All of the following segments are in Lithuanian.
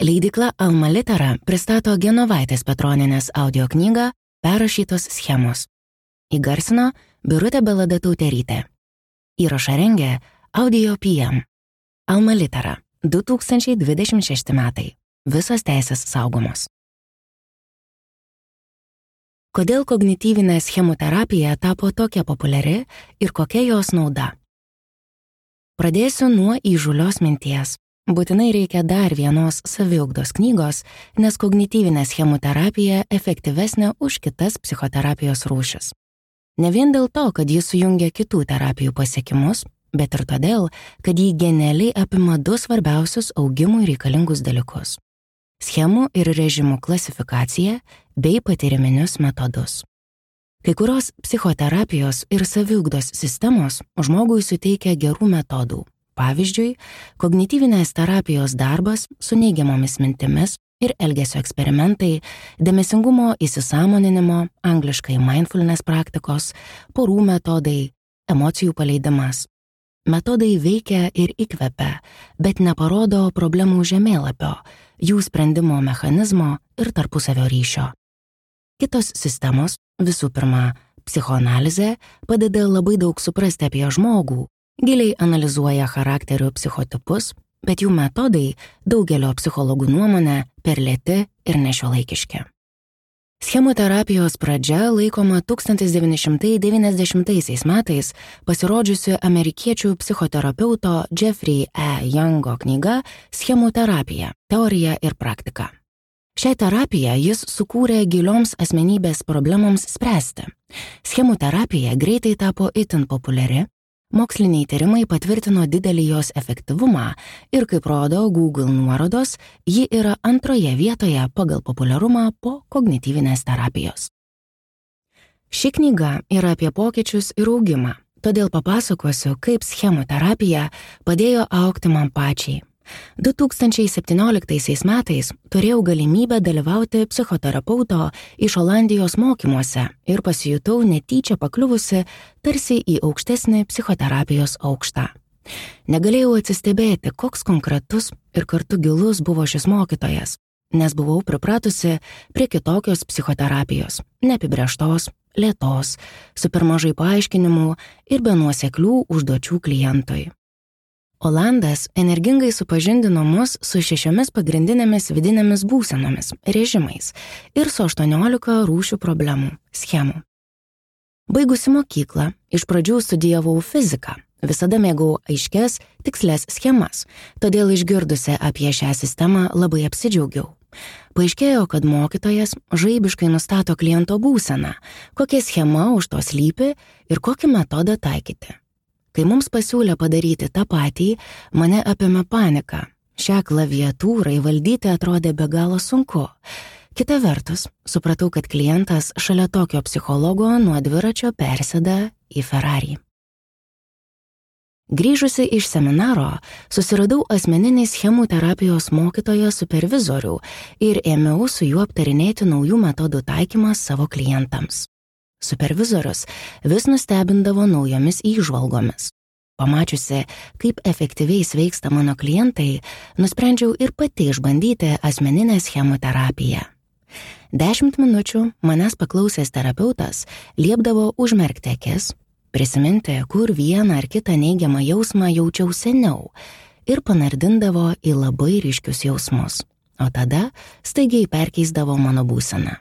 Leidykla Alma Litera pristato Genovaitės Petronienės audio knygą Perrašytos schemos. Įgarsino Birutė Beladatautėrytė. Įrašą rengė Audio PM. Alma Litera, 2026 metai. Visos teisės saugomos. Kodėl kognityvinė schemų terapija tapo tokia populiari ir kokia jos nauda? Pradėsiu nuo įžūlios minties. Būtinai reikia dar vienos saviugdos knygos, nes kognityvinė schemų terapija efektyvesnė už kitas psichoterapijos rūšis. Ne vien dėl to, kad jis sujungia kitų terapijų pasiekimus, bet ir todėl, kad jį genialiai apima du svarbiausius augimui reikalingus dalykus – schemų ir režimų klasifikaciją bei patyriminius metodus. Kai kurios psichoterapijos ir saviugdos sistemos žmogui suteikia gerų metodų. Pavyzdžiui, kognityvinės terapijos darbas su neigiamomis mintimis ir elgesio eksperimentai, dėmesingumo įsisąmoninimo, angliškai mindfulness praktikos, porų metodai, emocijų paleidimas. Metodai veikia ir įkvepia, bet neparodo problemų žemėlapio, jų sprendimo mechanizmo ir tarpusavio ryšio. Kitos sistemos, visų pirma, psichoanalizė, padeda labai daug suprasti apie žmogų, giliai analizuoja charakterių psichotipus, bet jų metodai daugelio psichologų nuomonė per lėti ir nešiuolaikiški. Schemų terapijos pradžia laikoma 1990 metais pasirodžiusi amerikiečių psichoterapeuto Jeffrey E. Youngo knyga Schemų terapija – teorija ir praktika. Šią terapiją jis sukūrė gilioms asmenybės problemoms spręsti. Schemų terapija greitai tapo itin populiari. Moksliniai tyrimai patvirtino didelį jos efektyvumą ir, kaip rodo Google nuorodos, ji yra antroje vietoje pagal populiarumą po kognityvinės terapijos. Ši knyga yra apie pokyčius ir augimą, todėl papasakosiu, kaip schemų terapija padėjo augti man pačiai. 2017 metais turėjau galimybę dalyvauti psichoterapeuto iš Olandijos mokymuose ir pasijutau netyčia pakliuvusi tarsi į aukštesnį psichoterapijos aukštą. Negalėjau atsistebėti, koks konkretus ir kartu gilus buvo šis mokytojas, nes buvau pripratusi prie kitokios psichoterapijos, neapibrėžtos, lėtos, su per mažai paaiškinimų ir be nuoseklių užduočių klientui. Olandas energingai supažindino mus su 6 pagrindinėmis vidinėmis būsenomis, režimais ir su 18 rūšių problemų, schemų. Baigusi mokyklą, iš pradžių studijavau fiziką, visada mėgau aiškias, tikslias schemas, todėl išgirdusi apie šią sistemą labai apsidžiaugiau. Paaiškėjo, kad mokytojas žaibiškai nustato kliento būseną, kokia schema už to slypi ir kokį metodą taikyti. Kai mums pasiūlė padaryti tą patį, mane apėmė panika. Šią klaviatūrą įvaldyti atrodė be galo sunku. Kita vertus, supratau, kad klientas šalia tokio psichologo nuo dviračio persėda į Ferrari. Grįžusi iš seminaro, susiradau asmeninį schemų terapijos mokytoją supervizorių ir ėmiau su juo aptarinėti naujų metodų taikymą savo klientams. Supervizorius vis nustebindavo naujomis įžvalgomis. Pamačiusi, kaip efektyviai sveiksta mano klientai, nusprendžiau ir pati išbandyti asmeninę schemų terapiją. 10 minučių manęs paklausęs terapeutas liepdavo užmerkti akis, prisiminti, kur vieną ar kitą neigiamą jausmą jaučiau seniau ir panardindavo į labai ryškius jausmus, o tada staigiai perkeisdavo mano būseną.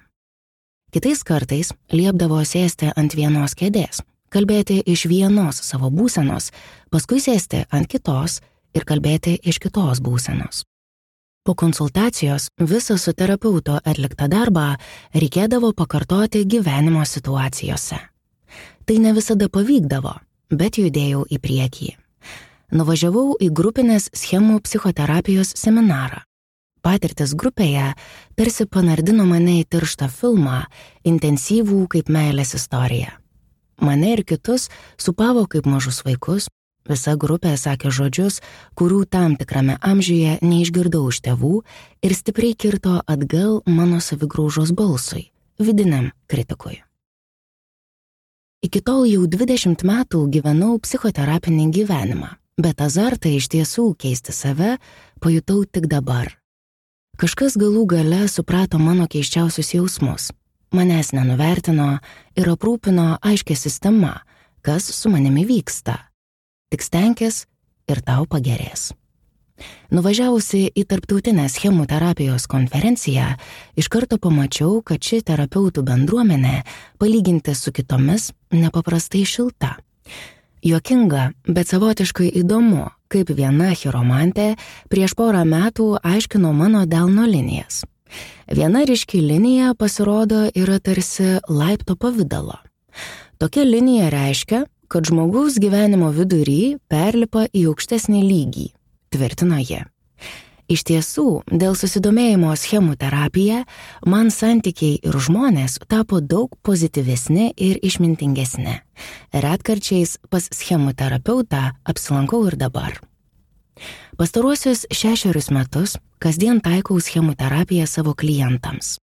Kitais kartais liepdavo sėsti ant vienos kėdės, kalbėti iš vienos savo būsenos, paskui sėsti ant kitos ir kalbėti iš kitos būsenos. Po konsultacijos visą su terapeuto atliktą darbą reikėdavo pakartoti gyvenimo situacijose. Tai ne visada pavykdavo, bet judėjau į priekį. Nuvažiavau į grupinės schemų psichoterapijos seminarą. Patirtis grupėje tarsi panardino mane į tirštą filmą, intensyvų kaip meilės istorija. Mane ir kitus supavo kaip mažus vaikus, visa grupė sakė žodžius, kurių tam tikrame amžiuje neišgirdau iš tėvų ir stipriai kirto atgal mano savigraužos balsui, vidiniam kritikui. Iki tol jau 20 metų gyvenau psichoterapinį gyvenimą, bet azartą iš tiesų keisti save pajutau tik dabar. Kažkas galų gale suprato mano keiščiausius jausmus. Manęs nenuvertino ir aprūpino aiškia sistema, kas su manimi vyksta. Tik stenkis ir tau pagerės. Nuvažiavusi į tarptautinę schemų terapijos konferenciją, iš karto pamačiau, kad ši terapeutų bendruomenė, palyginti su kitomis, nepaprastai šilta. Juokinga, bet savotiškai įdomu, kaip viena chiromantė prieš porą metų aiškino mano delno linijas. Viena ryški linija, pasirodo, yra tarsi laipto pavidalo. Tokia linija reiškia, kad žmogaus gyvenimo vidury perlipa į aukštesnį lygį, tvirtino ji. Iš tiesų, dėl susidomėjimo schemų terapija, man santykiai ir žmonės tapo daug pozityvesni ir išmintingesni. Retkarčiais pas schemų terapeutą apsilankau ir dabar. Pastaruosius 6 metus kasdien taikau schemų terapiją savo klientams.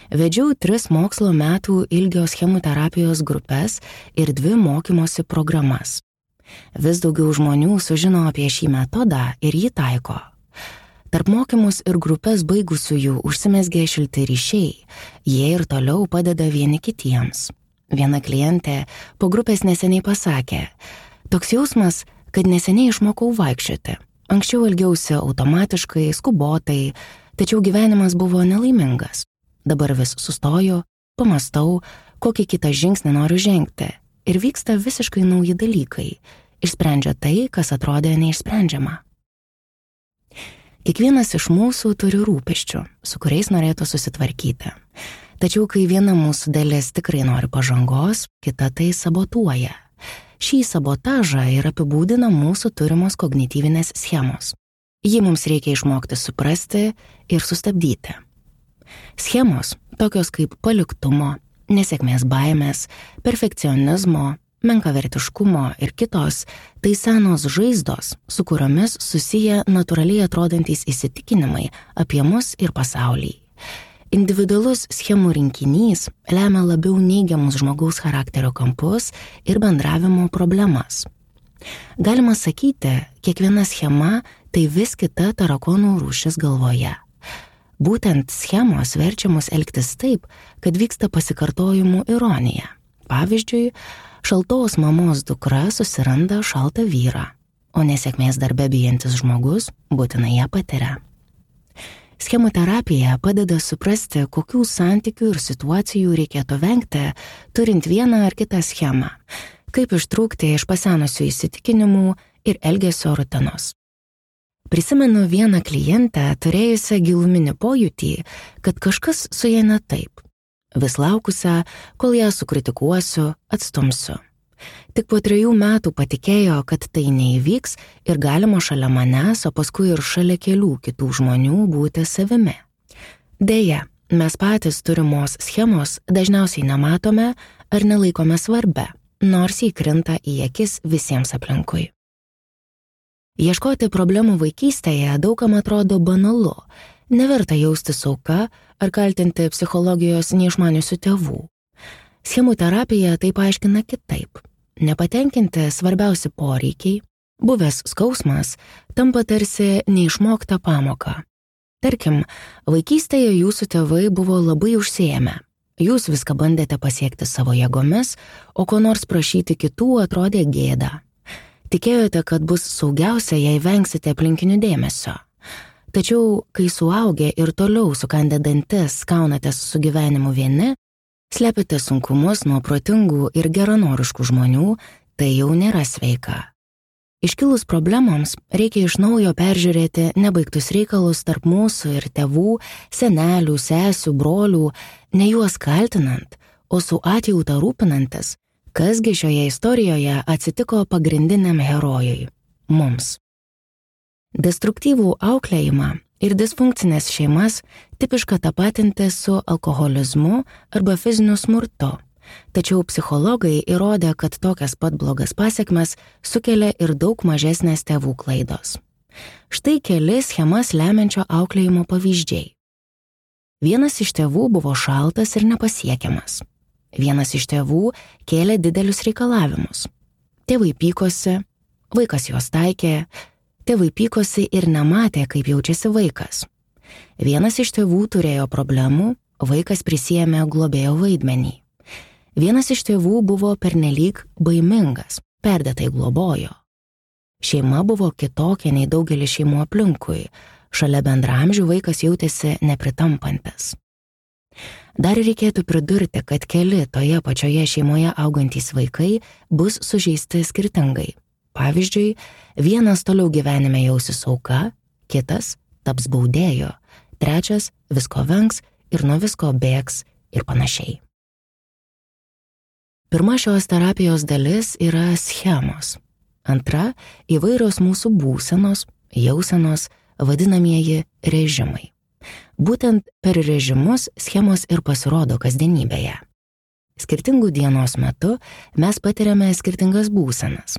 Vedžiau 3 mokslo metų ilgio schemų terapijos grupės ir 2 mokymosi programas. Vis daugiau žmonių sužino apie šį metodą ir jį taiko. Tarp mokymus ir grupės baigusiųjų užsimezgė šilti ryšiai, jie ir toliau padeda vieni kitiems. Viena klientė po grupės neseniai pasakė, toks jausmas, kad neseniai išmokau vaikščioti. Anksčiau elgiausi automatiškai, skubotai, tačiau gyvenimas buvo nelaimingas. Dabar vis sustoju, pamastau, kokį kitą žingsnį noriu žengti ir vyksta visiškai nauji dalykai, išsprendžia tai, kas atrodė neišsprendžiama. Kiekvienas iš mūsų turi rūpesčių, su kuriais norėtų susitvarkyti. Tačiau kai viena mūsų dalis tikrai nori pažangos, kita tai sabotuoja. Šį sabotažą ir apibūdina mūsų turimos kognityvinės schemos. Jį mums reikia išmokti suprasti ir sustabdyti. Schemos, tokios kaip paliktumo, nesėkmės baimės, perfekcionizmo, menkavertiškumo ir kitos, tai senos žaizdos, su kuriomis susiję natūraliai atrodantys įsitikinimai apie mus ir pasaulį. Individualus schemų rinkinys lemia labiau neigiamus žmogaus charakterio kampus ir bendravimo problemas. Galima sakyti, kiekviena schema tai vis kita tarakonų rūšis galvoje. Būtent schemos verčia mus elgtis taip, kad vyksta pasikartojimų ironija. Pavyzdžiui, šaltos mamos dukra susiranda šaltą vyrą, o nesėkmės darbe bijantis žmogus būtinai ją patiria. Schemų terapija padeda suprasti, kokių santykių ir situacijų reikėtų vengti, turint vieną ar kitą schemą, kaip ištrūkti iš pasenusių įsitikinimų ir elgesio rutinos. Prisimenu vieną klientę, turėjusią giluminį pojūtį, kad kažkas su ja ne taip. Vis laukusią, kol ją sukritikuosiu, atstumsiu. Tik po 3 metų patikėjo, kad tai neįvyks ir galima šalia manęs, o paskui ir šalia kelių kitų žmonių būti savimi. Deja, mes patys turimos schemos dažniausiai nematome ar nelaikome svarbia, nors jį krinta į akis visiems aplinkui. Ieškoti problemų vaikystėje daugam atrodo banalu, neverta jaustis auka ar kaltinti psichologijos neišmaniusių tėvų. Schemų terapija tai paaiškina kitaip. Nepatenkinti svarbiausi poreikiai, buvęs skausmas, tampa tarsi neišmokta pamoka. Tarkim, vaikystėje jūsų tėvai buvo labai užsiėmę. Jūs viską bandėte pasiekti savo jėgomis, o ko nors prašyti kitų atrodė gėda. Tikėjote, kad bus saugiausia, jei vengsite aplinkinių dėmesio. Tačiau, kai suaugę ir toliau sukandę dantis kaunatės su gyvenimu vieni, slepiate sunkumus nuo protingų ir geranoriškų žmonių, tai jau nėra sveika. Iškilus problemoms reikia iš naujo peržiūrėti nebaigtus reikalus tarp mūsų ir tėvų, senelių, sesių, brolių, ne juos kaltinant, o su atjauta rūpinantis, kasgi šioje istorijoje atsitiko pagrindiniam herojui – mums. Destruktyvų auklėjimą ir disfunkcinės šeimas tipiška tapatinti su alkoholizmu arba fiziniu smurtu, tačiau psichologai įrodė, kad tokias pat blogas pasekmes sukelia ir daug mažesnės tėvų klaidos. Štai keli schemas lemiančio auklėjimo pavyzdžiai. Vienas iš tėvų buvo šaltas ir nepasiekiamas. Vienas iš tėvų kėlė didelius reikalavimus. Tėvai pykosi, vaikas juos taikė, tėvai pykosi ir nematė, kaip jaučiasi vaikas. Vienas iš tėvų turėjo problemų, vaikas prisiėmė globėjo vaidmenį. Vienas iš tėvų buvo pernelyg baimingas, perdėtai globojo. Šeima buvo kitokia nei daugelis šeimų aplinkui, šalia bendramžių vaikas jautėsi nepritampantis. Dar reikėtų pridurti, kad keli toje pačioje šeimoje augantys vaikai bus sužeisti skirtingai. Pavyzdžiui, vienas toliau gyvenime jausis auka, kitas taps baudėju, trečias visko vengs ir nuo visko bėgs ir panašiai. Pirma šios terapijos dalis yra schemos. Antra – įvairios mūsų būsenos, jausenos, vadinamieji režimai. Būtent per režimus schemos ir pasirodo kasdienybėje. Skirtingų dienos metu mes patiriame skirtingas būsenas.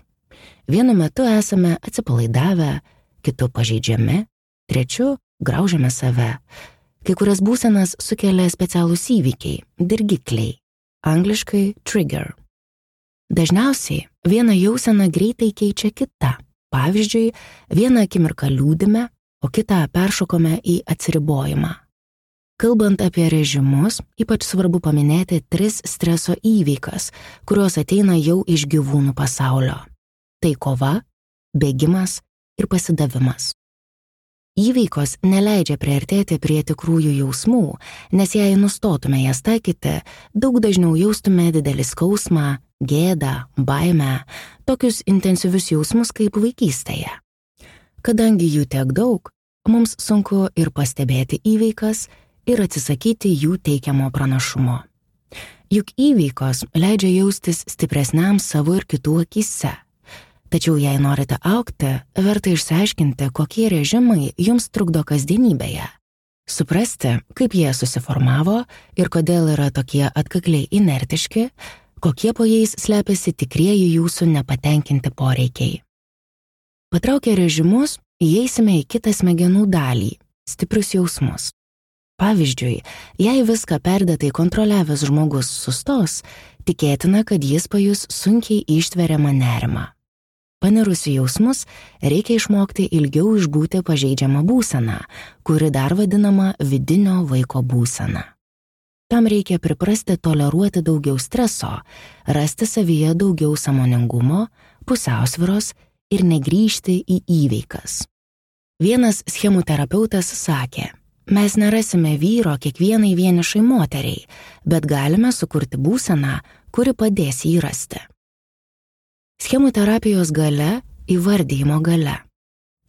Vienu metu esame atsipalaidavę, kitu pažeidžiami, trečiu graužiame save. Kai kurias būsenas sukelia specialūs įvykiai, dirgikliai, angliškai trigger. Dažniausiai vieną jauseną greitai keičia kita. Pavyzdžiui, vieną akimirką liūdime, o kitą peršokome į atsiribojimą. Kalbant apie režimus, ypač svarbu paminėti 3 streso įveikas, kurios ateina jau iš gyvūnų pasaulio. Tai kova, bėgimas ir pasidavimas. Įveikos neleidžia priartėti prie tikrųjų jausmų, nes jei nustotume jas taikyti, daug dažniau jaustume didelį skausmą, gėdą, baimę, tokius intensyvius jausmus kaip vaikystėje. Kadangi jų tiek daug, mums sunku ir pastebėti įveikas, ir atsisakyti jų teikiamo pranašumo. Juk įveikos leidžia jaustis stipresniam savo ir kitų akyse. Tačiau jei norite augti, verta išsiaiškinti, kokie režimai jums trukdo kasdienybėje. Suprasti, kaip jie susiformavo ir kodėl yra tokie atkakliai inertiški, kokie po jais slepiasi tikrieji jūsų nepatenkinti poreikiai. Patraukę režimus, įeisime į kitą smegenų dalį – stiprius jausmus. Pavyzdžiui, jei viską perdėtai kontroliavęs žmogus sustos, tikėtina, kad jis pajus sunkiai ištveriamą nerimą. Panirus į jausmus, reikia išmokti ilgiau išbūti pažeidžiamą būseną, kuri dar vadinama vidinio vaiko būsena. Tam reikia priprasti toleruoti daugiau streso, rasti savyje daugiau sąmoningumo, pusiausvyros ir negrįžti į įveikas. Vienas schemų terapeutas sakė, mes nerasime vyro kiekvienai vienišai moteriai, bet galime sukurti būseną, kuri padės jį rasti. Schemų terapijos galia – įvardijimo galia.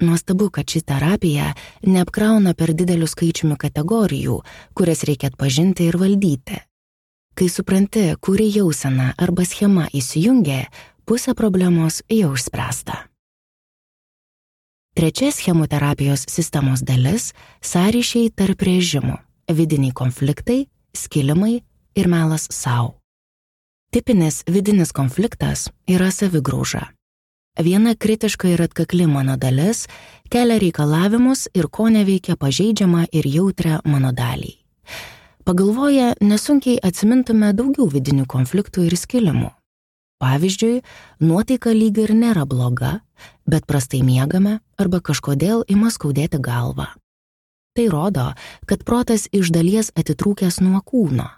Nuostabu, kad ši terapija neapkrauna per didelių skaičiumi kategorijų, kurias reikia atpažinti ir valdyti. Kai supranti, kuri jausena arba schema įsijungia, pusė problemos jau išspręsta. Trečia schemų terapijos sistemos dalis – sąryšiai tarp režimų, vidiniai konfliktai, skilimai ir melas sau. Tipinis vidinis konfliktas yra savigrauža. Viena kritiška ir atkakli mano dalis kelia reikalavimus ir ko neveikia pažeidžiamą ir jautrią mano dalį. Pagalvoję, nesunkiai atsimintume daugiau vidinių konfliktų ir skilimų. Pavyzdžiui, nuotaika lyg ir nėra bloga, bet prastai miegame arba kažkodėl ima skaudėti galvą. Tai rodo, kad protas iš dalies atitrūkęs nuo kūno.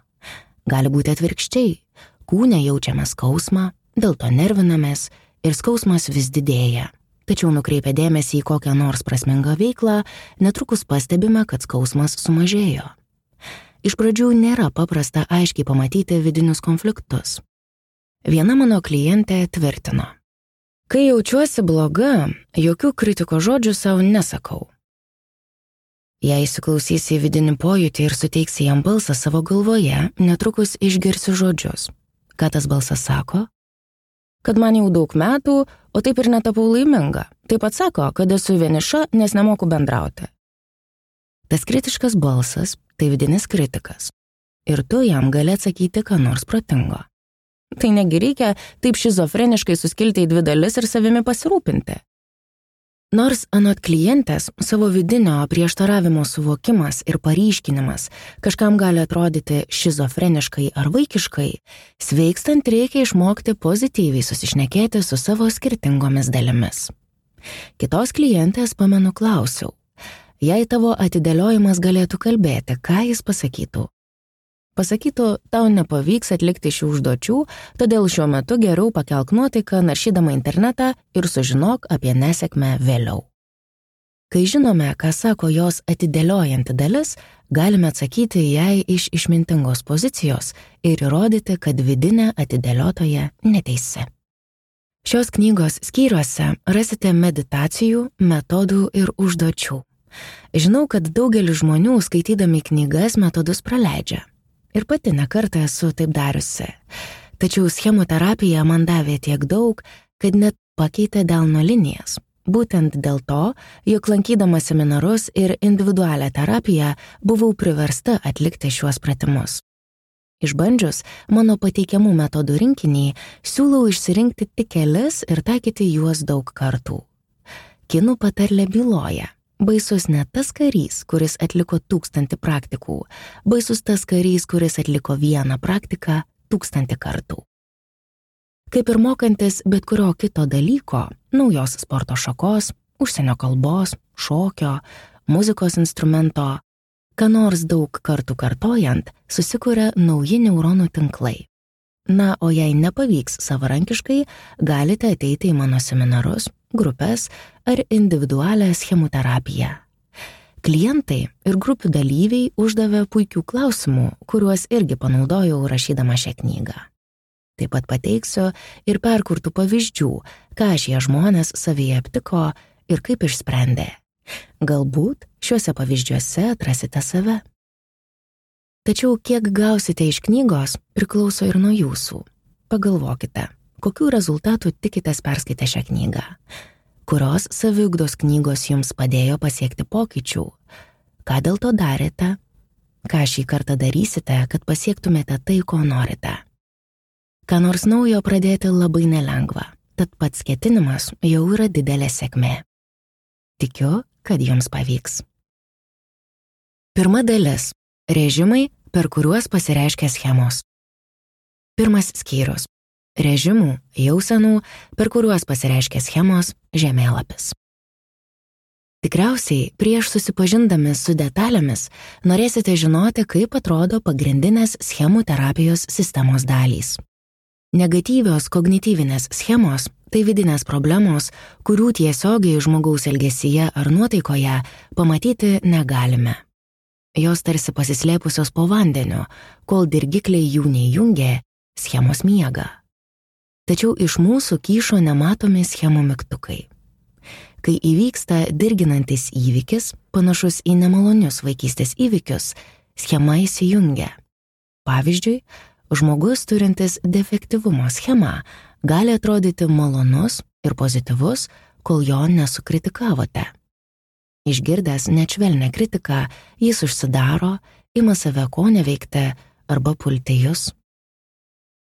Gali būti atvirkščiai, kūne jaučiame skausmą, dėl to nervinamės ir skausmas vis didėja. Tačiau nukreipę dėmesį į kokią nors prasmingą veiklą, netrukus pastebime, kad skausmas sumažėjo. Iš pradžių nėra paprasta aiškiai pamatyti vidinius konfliktus. Viena mano klientė tvirtino, kai jaučiuosi bloga, jokių kritiko žodžių savo nesakau. Jei įsiklausysi į vidinį pojūtį ir suteiksi jam balsą savo galvoje, netrukus išgirsi žodžius. Ką tas balsas sako? Kad man jau daug metų, o taip ir netapau laiminga. Taip pat sako, kad esu vieniša, nes nemoku bendrauti. Tas kritiškas balsas – tai vidinis kritikas. Ir tu jam gali atsakyti ką nors protingo. Tai negi reikia taip šizofreniškai suskilti į 2 dalis ir savimi pasirūpinti. Nors anot klientės savo vidinio prieštaravimo suvokimas ir paryškinimas kažkam gali atrodyti šizofreniškai ar vaikiškai, sveikstant reikia išmokti pozityviai susišnekėti su savo skirtingomis dalimis. Kitos klientės pamenu klausiau, Jei tavo atidėliojimas galėtų kalbėti, ką jis pasakytų? Pasakytų, tau nepavyks atlikti šių užduočių, todėl šiuo metu geriau pakelk nuotaiką naršydama internetą ir sužinok apie nesėkmę vėliau. Kai žinome, ką sako jos atidėliojanti dalis, galime atsakyti jai iš išmintingos pozicijos ir įrodyti, kad vidinė atidėliotoja neteisi. Šios knygos skyriuose rasite meditacijų, metodų ir užduočių. Žinau, kad daugelis žmonių skaitydami knygas metodus praleidžia. Ir pati nekartą esu taip dariusi. Tačiau schemų terapija man davė tiek daug, kad net pakeitė delno linijas. Būtent dėl to, jog lankydama seminarus ir individualią terapiją buvau priversta atlikti šiuos pratimus. Išbandžius mano pateikiamų metodų rinkinį, siūlau išsirinkti tik kelis ir taikyti juos daug kartų. Kinų patarlė byloja: baisus ne tas karys, kuris atliko 1000 praktikų, baisus tas karys, kuris atliko 1 praktiką 1000 kartų. Kaip ir mokantis bet kurio kito dalyko, naujos sporto šakos, užsienio kalbos, šokio, muzikos instrumento, ką nors daug kartų kartojant, susikuria nauji neuronų tinklai. Na, o jei nepavyks savarankiškai, galite ateiti į mano seminarus, grupės ar individualią schemų terapiją. Klientai ir grupių dalyviai uždavė puikių klausimų, kuriuos irgi panaudojau rašydama šią knygą. Taip pat pateiksiu ir perkurtų pavyzdžių, ką šie žmonės savyje aptiko ir kaip išsprendė. Galbūt šiuose pavyzdžiuose atrasite save. Tačiau kiek gausite iš knygos, priklauso ir nuo jūsų. Pagalvokite, kokių rezultatų tikitės perskaitę šią knygą. Kurios saviugdos knygos jums padėjo pasiekti pokyčių? Ką dėl to darėte? Ką šį kartą darysite, kad pasiektumėte tai, ko norite? Ką nors naujo pradėti labai nelengva, tad pats ketinimas jau yra didelė sėkmė. Tikiu, kad jums pavyks. Pirma dalis – režimai, per kuriuos pasireiškia schemos. Pirmas skyrius – režimų, jausenų, per kuriuos pasireiškia schemos, žemėlapis. Tikriausiai, prieš susipažindami su detalėmis, norėsite žinoti, kaip atrodo pagrindinės schemų terapijos sistemos dalys. Negatyvios kognityvinės schemos – tai vidinės problemos, kurių tiesiogiai žmogaus elgesyje ar nuotaikoje pamatyti negalime. Jos tarsi pasislėpusios po vandeniu, kol dirgikliai jų neįjungė, schemos miega. Tačiau iš mūsų kyšo nematomi schemų mygtukai. Kai įvyksta dirginantis įvykis, panašus į nemalonius vaikystės įvykius, schema įsijungia. Pavyzdžiui, žmogus turintis defektyvumo schemą gali atrodyti malonus ir pozityvus, kol jo nesukritikavote. Išgirdęs net švelnią kritiką, jis užsidaro, ima save ko neveikti arba pulti jus.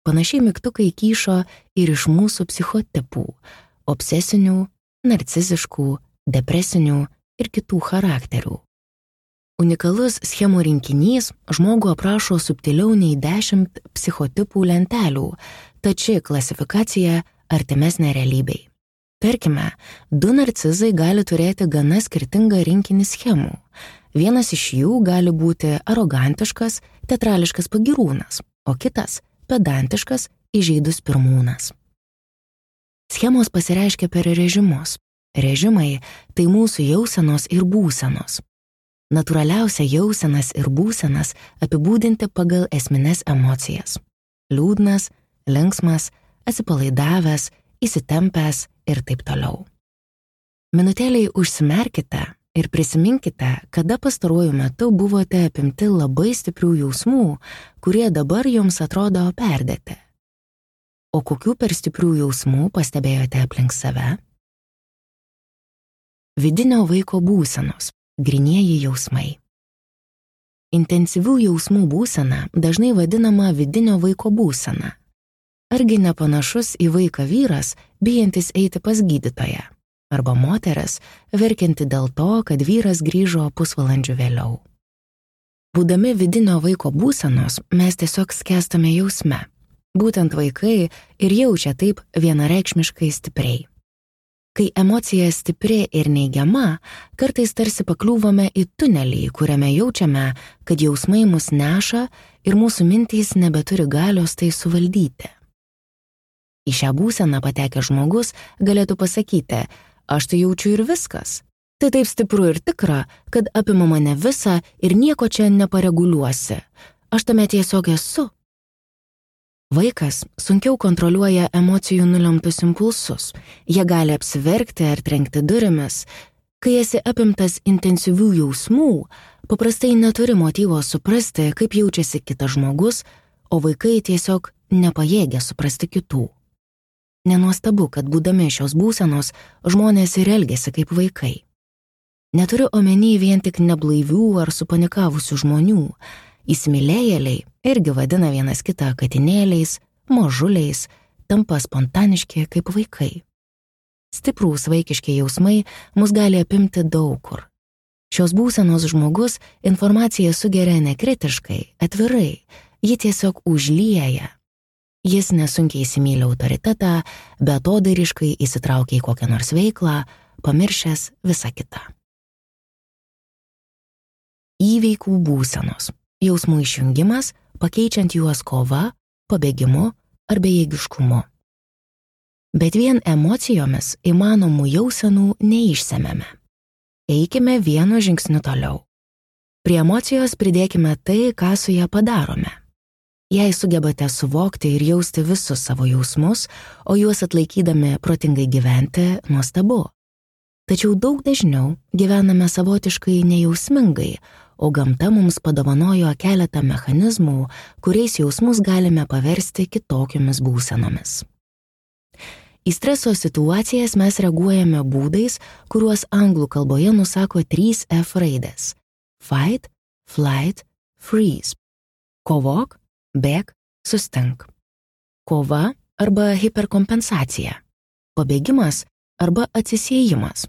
Panašiai mygtukai kyšo ir iš mūsų psichotipų – obsesinių, narciziškų, depresinių ir kitų charakterių. Unikalus schemų rinkinys žmogų aprašo subtiliau nei 10 psichotipų lentelių, tad ši klasifikacija artimesnė realybei. Tarkime, 2 narcizai gali turėti gana skirtingą rinkinį schemų. Vienas iš jų gali būti arogantiškas, teatrališkas pagyrūnas, o kitas – pedantiškas, įžeidus pirmūnas. Schemos pasireiškia per režimus. Režimai – tai mūsų jausenos ir būsenos. Natūraliausia jausenas ir būsenas apibūdinti pagal esmines emocijas. Liūdnas, linksmas, atsipalaidavęs, įsitempęs ir taip toliau. Minutėliai užsimerkite ir prisiminkite, kada pastaruoju metu buvote apimti labai stiprių jausmų, kurie dabar jums atrodo perdėti. O kokių per stiprių jausmų pastebėjote aplink save? Vidinio vaiko būsenos. Grynieji jausmai. Intensyvių jausmų būsena dažnai vadinama vidinio vaiko būsena. Argi nepanašus į vaiką vyras, bijantis eiti pas gydytoją, arba moteris, verkianti dėl to, kad vyras grįžo pusvalandžiu vėliau. Būdami vidinio vaiko būsenos, mes tiesiog skęstame jausme. Būtent vaikai ir jaučia taip vienareikšmiškai stipriai. Kai emocija stipri ir neigiama, kartais tarsi pakliūvame į tunelį, kuriame jaučiame, kad jausmai mus neša ir mūsų mintys nebeturi galios tai suvaldyti. Į šią būseną patekęs žmogus galėtų pasakyti, aš tai jaučiu ir viskas. Tai taip stipru ir tikra, kad apima mane visą ir nieko čia nepareguliuosi. Aš tame tiesiog esu. Vaikas sunkiau kontroliuoja emocijų nulemtus impulsus. Jie gali apsiverkti ar trenkti durimis. Kai esi apimtas intensyvių jausmų, paprastai neturi motyvo suprasti, kaip jaučiasi kitas žmogus, o vaikai tiesiog nepajėgia suprasti kitų. Nenuostabu, kad būdami šios būsenos, žmonės ir elgiasi kaip vaikai. Neturiu omeny vien tik neblaivių ar supanikavusių žmonių. Įsimylėjėliai irgi vadina vienas kitą katinėliais, mažuliais, tampa spontaniški kaip vaikai. Stiprūs vaikiški jausmai mus gali apimti daug kur. Šios būsenos žmogus informaciją sugeria nekritiškai, atvirai, ji tiesiog užlieja. Jis nesunkiai įsimyli autoritetą, beatodairiškai įsitraukia į kokią nors veiklą, pamiršęs visą kitą. Įveikų būsenos. Jausmų išjungimas, pakeičiant juos kova, pabėgimu ar bejėgiškumu. Bet vien emocijomis įmanomų jausenų neišsemiame. Eikime vienu žingsniu toliau. Prie emocijos pridėkime tai, ką su ją padarome. Jei sugebate suvokti ir jausti visus savo jausmus, o juos atlaikydami protingai gyventi, nuostabu. Tačiau daug dažniau gyvename savotiškai nejausmingai, o gamta mums padovanojo keletą mechanizmų, kuriais jausmus galime paversti kitokiomis būsenomis. Į streso situacijas mes reaguojame būdais, kuriuos anglų kalboje nusako 3 F raidės – fight, flight, freeze. Kovok, bėk, sustink. Kova arba hiperkompensacija. Pabėgimas arba atsisiejimas.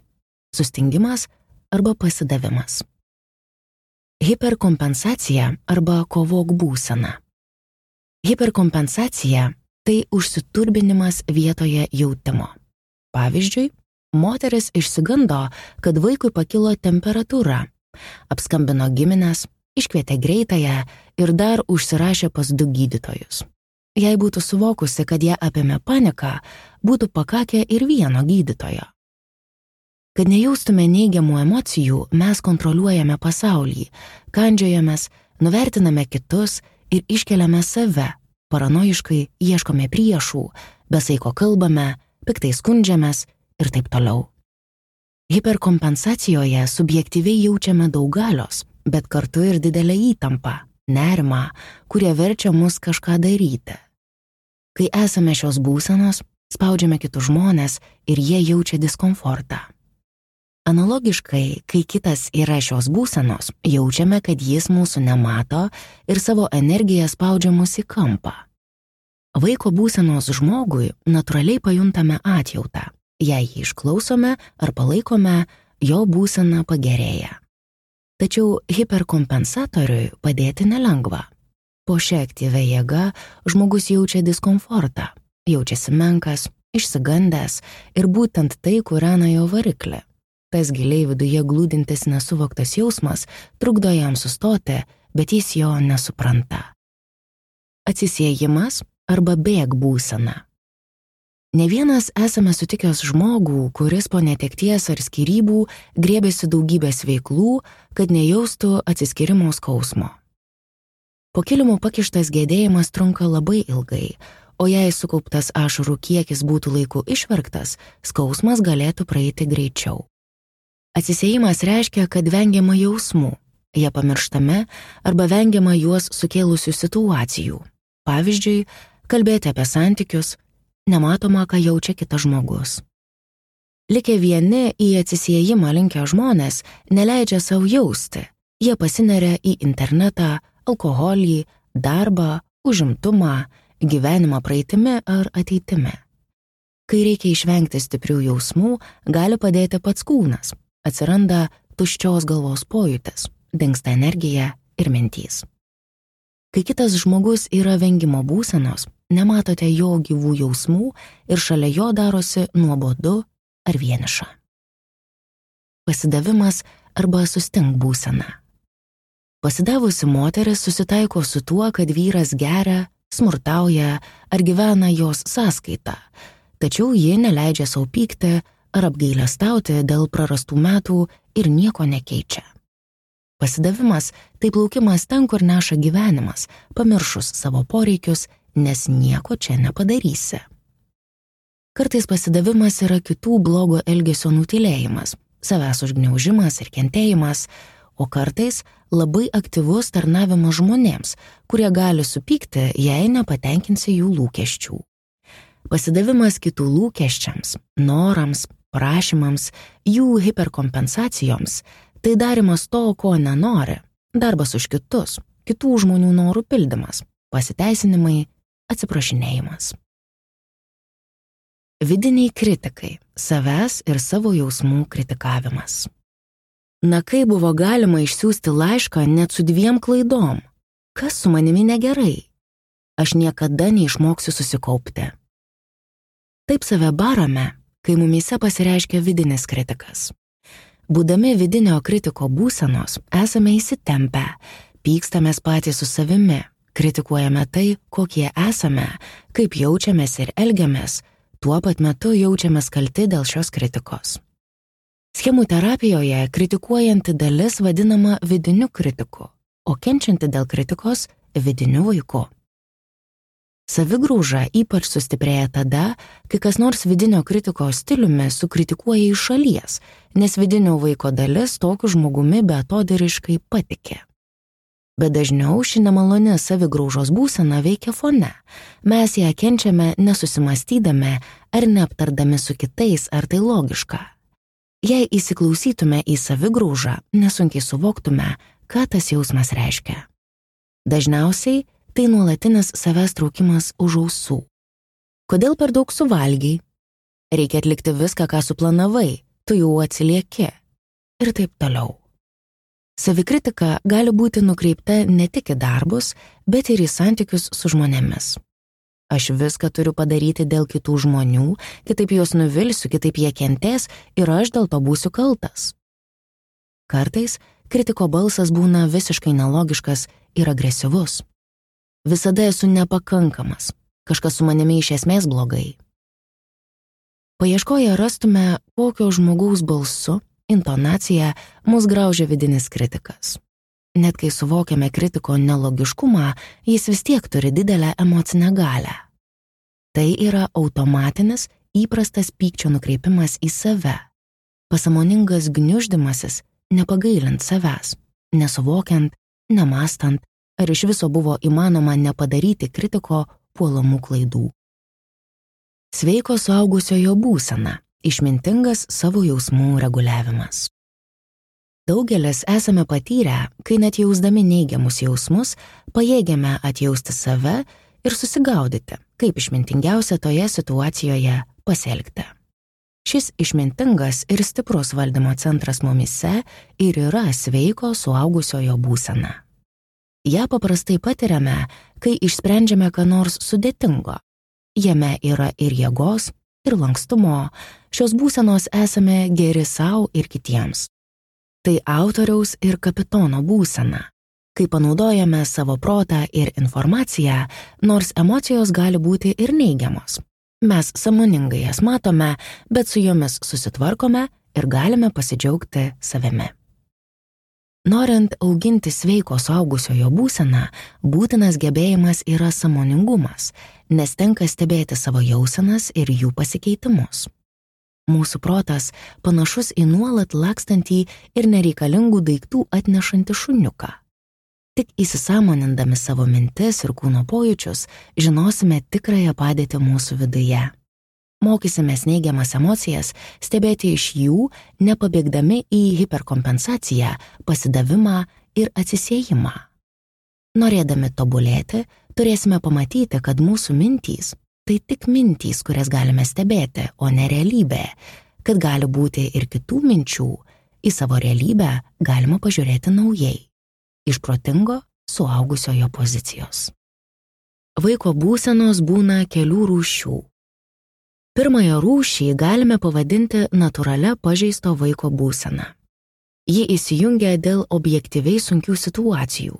Sustingimas arba pasidavimas. Hiperkompensacija arba kovok būsena. Hiperkompensacija – tai užsiturbinimas vietoje jautimo. Pavyzdžiui, moteris išsigando, kad vaikui pakilo temperatūra, apskambino gimines, iškvietė greitąją ir dar užsirašė pas 2 gydytojus. Jei būtų suvokusi, kad ją apėmė panika, būtų pakakę ir vieno gydytojo. Kad nejaustume neigiamų emocijų, mes kontroliuojame pasaulį, kandžiojamės, nuvertiname kitus ir iškeliame save, paranojiškai ieškome priešų, besaiko kalbame, piktai skundžiamės ir taip toliau. Hiperkompensacijoje subjektyviai jaučiame daug galios, bet kartu ir didelę įtampą, nerimą, kurie verčia mus kažką daryti. Kai esame šios būsenos, spaudžiame kitus žmones ir jie jaučia diskomfortą. Analogiškai, kai kitas yra šios būsenos, jaučiame, kad jis mūsų nemato ir savo energiją spaudžia mus į kampą. Vaiko būsenos žmogui natūraliai pajuntame atjautą. Jei jį išklausome ar palaikome, jo būsena pagerėja. Tačiau hiperkompensatoriui padėti nelengva. Po šia aktyvia jėga žmogus jaučia diskomfortą, jaučiasi menkas, išsigandęs ir būtent tai kūrena jo variklį. Tas giliai viduje glūdintis nesuvoktas jausmas trukdo jam sustoti, bet jis jo nesupranta. Atsisiejimas arba bėk būsena. Ne vienas esame sutikęs žmogų, kuris po netekties ar skyrybų griebėsi daugybės veiklų, kad nejaustų atsiskyrimo skausmo. Po kilimu pakištas gedėjimas trunka labai ilgai, o jei sukauptas ašarų kiekis būtų laiku išverktas, skausmas galėtų praeiti greičiau. Atsisiejimas reiškia, kad vengiama jausmų, jie pamirštame arba vengiama juos sukėlusių situacijų. Pavyzdžiui, kalbėti apie santykius, nematoma, ką jaučia kitas žmogus. Likę vieni į atsisiejimą linkę žmonės neleidžia savo jausti, jie pasineria į internetą, alkoholį, darbą, užimtumą, gyvenimą praeitimi ar ateitimi. Kai reikia išvengti stiprių jausmų, gali padėti pats kūnas. Atsiranda tuščios galvos pojūtis, dingsta energija ir mintys. Kai kitas žmogus yra vengimo būsenos, nematote jo gyvų jausmų ir šalia jo darosi nuobodu, ar vieniša. Pasidavimas arba sustink būsena. Pasidavusi moteris susitaiko su tuo, kad vyras geria, smurtauja ar gyvena jos sąskaita, tačiau ji neleidžia sau pykti ar apgailestauti dėl prarastų metų ir nieko nekeičia. Pasidavimas tai plaukimas ten, kur neša gyvenimas, pamiršus savo poreikius, nes nieko čia nepadarysi. Kartais pasidavimas yra kitų blogo elgesio nutylėjimas, savęs užgniaužimas ir kentėjimas, o kartais labai aktyvus tarnavimas žmonėms, kurie gali supykti, jei nepatenkinsi jų lūkesčių. Pasidavimas kitų lūkesčiams, norams, prašymams, jų hiperkompensacijoms, tai darymas to, ko nenori, darbas už kitus, kitų žmonių norų pildymas, pasiteisinimai, atsiprašinėjimas. Vidiniai kritikai, savęs ir savo jausmų kritikavimas. Na, kaip buvo galima išsiųsti laišką net su 2 klaidom? Kas su manimi negerai? Aš niekada neišmoksiu susikaupti. Taip save barame, kai mumyse pasireiškia vidinis kritikas. Būdami vidinio kritiko būsenos, esame įsitempę, pykstamės patys su savimi, kritikuojame tai, kokie esame, kaip jaučiamės ir elgiamės, tuo pat metu jaučiamės kalti dėl šios kritikos. Schemų terapijoje kritikuojanti dalis vadinama vidiniu kritiku, o kenčianti dėl kritikos vidiniu vaiku. Savigrauža ypač sustiprėja tada, kai kas nors vidinio kritiko stiliumi sukritikuoja iš šalies, nes vidinio vaiko dalis tokiu žmogumi beatodairiškai patikė. Bet dažniau ši nemaloni savigraužos būsena veikia fone. Mes ją kenčiame nesusimastydami ar neaptardami su kitais, ar tai logiška. Jei įsiklausytume į savigraužą, nesunkiai suvoktume, ką tas jausmas reiškia. Dažniausiai tai nuolatinis savęs traukimas už ausų. Kodėl per daug suvalgiai? Reikia atlikti viską, ką suplanavai, tu jau atsilieki. Ir taip toliau. Savikritika gali būti nukreipta ne tik į darbus, bet ir į santykius su žmonėmis. Aš viską turiu padaryti dėl kitų žmonių, kitaip juos nuvilsiu, kitaip jie kentės ir aš dėl to būsiu kaltas. Kartais kritiko balsas būna visiškai nelogiškas ir agresyvus. Visada esu nepakankamas, kažkas su manimi iš esmės blogai. Paieškoję rastume, kokio žmogaus balsu, intonacija mus graužia vidinis kritikas. Net kai suvokiame kritiko nelogiškumą, jis vis tiek turi didelę emocinę galią. Tai yra automatinis, įprastas pykčio nukreipimas į save, pasąmoningas gniuždymasis, nepagailint savęs, nesuvokiant, nemastant, ar iš viso buvo įmanoma nepadaryti kritiko puolamų klaidų. Sveiko suaugusiojo būsena – išmintingas savo jausmų reguliavimas. Daugelis esame patyrę, kai net jausdami neigiamus jausmus, pajėgiame atjausti save ir susigaudyti, kaip išmintingiausia toje situacijoje pasielgti. Šis išmintingas ir stiprus valdymo centras mumyse ir yra sveiko suaugusiojo būsena. Ja paprastai patiriame, kai išsprendžiame ką nors sudėtingo. Jame yra ir jėgos, ir lankstumo, šios būsenos esame geri sau ir kitiems. Tai autoriaus ir kapitono būsena, kai panaudojame savo protą ir informaciją, nors emocijos gali būti ir neigiamos. Mes sąmoningai jas matome, bet su jomis susitvarkome ir galime pasidžiaugti savimi. Norint auginti sveiko suaugusiojo būseną, būtinas gebėjimas yra sąmoningumas, nes tenka stebėti savo jausenas ir jų pasikeitimus. Mūsų protas panašus į nuolat lakstantį ir nereikalingų daiktų atnešantį šuniuką. Tik įsisąmonindami savo mintis ir kūno pojūčius, žinosime tikrąją padėtį mūsų viduje. Mokysimės neigiamas emocijas stebėti iš jų, nepabėgdami į hiperkompensaciją, pasidavimą ir atsisiejimą. Norėdami tobulėti, turėsime pamatyti, kad mūsų mintys tai tik mintys, kurias galime stebėti, o ne realybė, kad gali būti ir kitų minčių, į savo realybę galima pažiūrėti naujai, iš protingo suaugusiojo pozicijos. Vaiko būsenos būna kelių rūšių. Pirmąją rūšį galime pavadinti natūralia pažeisto vaiko būsena. Ji įsijungia dėl objektyviai sunkių situacijų.